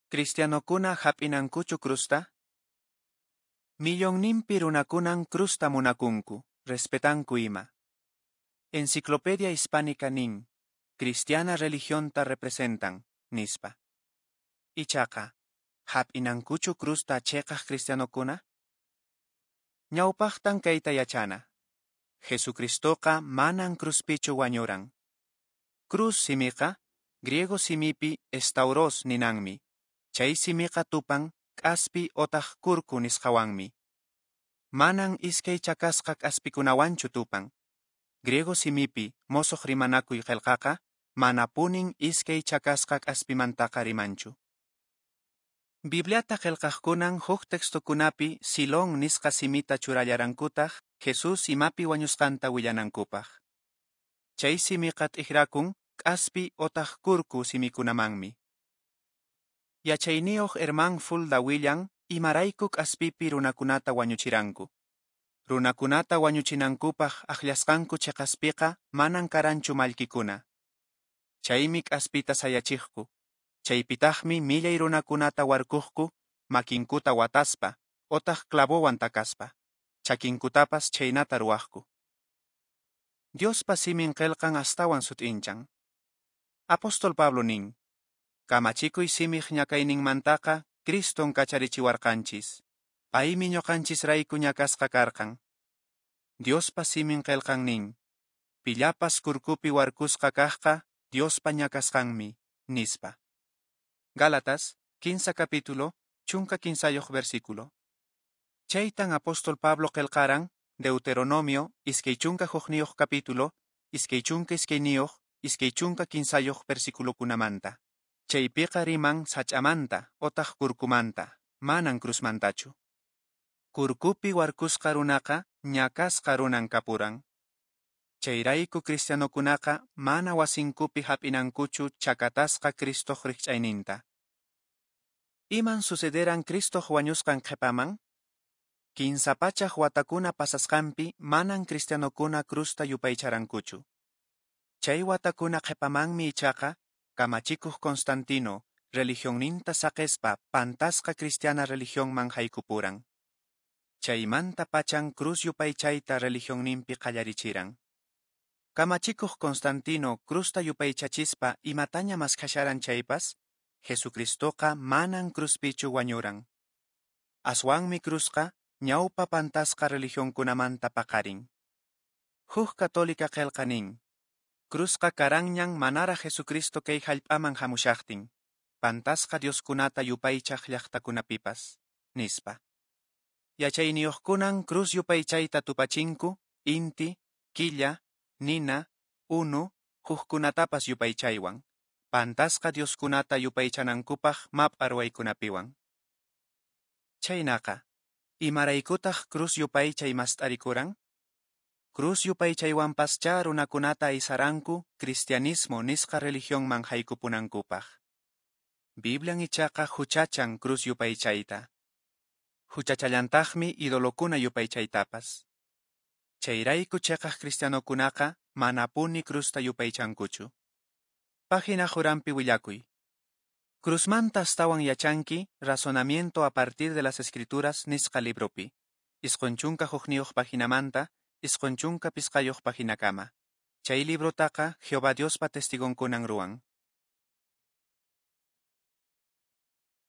Cristianokuna hap'inankuchu cruzta? Millonninpi runakunan cruzta munakunku, respetanku ima. Enciclopedia Hispánica nin, Cristiana religionta representan, nispa. Ichaqa, hap'inankuchu cruzta cheqaq cristianokuna? Ñawpaqtan kayta yachana. Jesucristoqa manan cruzpichu wañuran. Cruz simiqa, griego simipi stauros ninanmi. Chay simiqa tupan k'aspi otaq kurku nisqawanmi. Manan iskay chakasqa k'aspikunawanchu tupan. Griego simipi mosoq rimanakuy qelqaqa manapunin iskay chakasqa k'aspimantaqa rimanchu. Bibliata qelqaqkunan huk textokunapi xylon nisqa simita churallarankutaq Jesus imapi wañusqanta willanankupaq. Chay simiqa t'ikrakun k'aspi otaq kurku simikunamanmi. Yachayniyuq Herman Fulda willan imarayku k'aspipi runakunata wañuchiranku. Runakunata wañuchinankupaq akllasqanku cheqaspiqa manan karanchu mallkikuna. Chaymi k'aspita sayachiqku. Chaypitaqmi millay runakunata warkuqku makinkuta wataspa otaq clavowan takaspa. Chakinkutapas chhaynata ruwaqku. Diospa simin qelqan astawan sut'inchan. Apóstol Pablo nin, Kamachikuy simiq ñakayninmantaqa Criston kacharichiwarqanchis. Paymi ñuqanchisrayku ñakasqa karqan. Diospa simin qelqan nin, Pillapas kurkupi warkusqa kaqqa Diospa ñakasqanmi, nispa. Gálatas, 15 capítulo, 13 versículo. Chaytan apóstol Pablo qelqaran, Deuteronomio, 21 capítulo, 22 23 versículokunamanta. Chaypiqa riman sach'amanta otaq kurkumanta, manan cruzmantachu. Kurkupi warkusqa runaqa ñakasqa runan kapuran. Chayrayku cristianokunaqa mana wasinkupi hap'inankuchu chakatasqa Cristoq rikch'ayninta. Iman sucederan Cristoq wañusqan qhipaman? 300 watakuna pasasqanpi manan cristianokuna cruzta yupaycharankuchu. Chay watakuna qhipamanmi ichaqa kamachikuq Constantino religionninta saqespa pantasqa cristiana religionman haykupuran. Chaymanta pachan cruz yupaychayta religionninpi qallarichiran. Kamachikuq Constantino cruzta yupaychachispa imataña maskhasharan chaypas, Jesucristoqa manan cruzpichu wañuran. Aswanmi cruzqa ñawpa pantasqa religionkunamanta paqarin. Huk católica qelqa nin, Cruzqa karanñan manaraq Jesucristo kay hallp'aman hamushaqtin, pantasqa dioskunata yupaychaq llaqtakunapipas, nispa. Yachayniyuqkunan cruz yupaychayta tupachinku, inti, killa, nina, unu, hukkunatapas yupaychaywan, pantasqa dioskunata yupaychanankupaq map'a ruwaykunapiwan. Chhaynaqa, imaraykutaq cruz yupaychay mast'arikuran? Cruz yupaychaywanpaschá runakunata aysaranku cristianismo nisqa religionman haykupunankupaq. Biblian ichaqa huchachan cruz yupaychayta. Huchachallantaqmi idolokuna yupaychaytapas. Chayrayku cheqaq cristianokunaqa manapuni cruzta yupaychankuchu. Página uranpi willakuy. Cruzmanta astawan yachanki Razonamiento a partir de las Escrituras nisqa libropi. 91 paginamanta 95 paginakama. Chay librotaqa Jehová Diospa testigonkunan ruwan.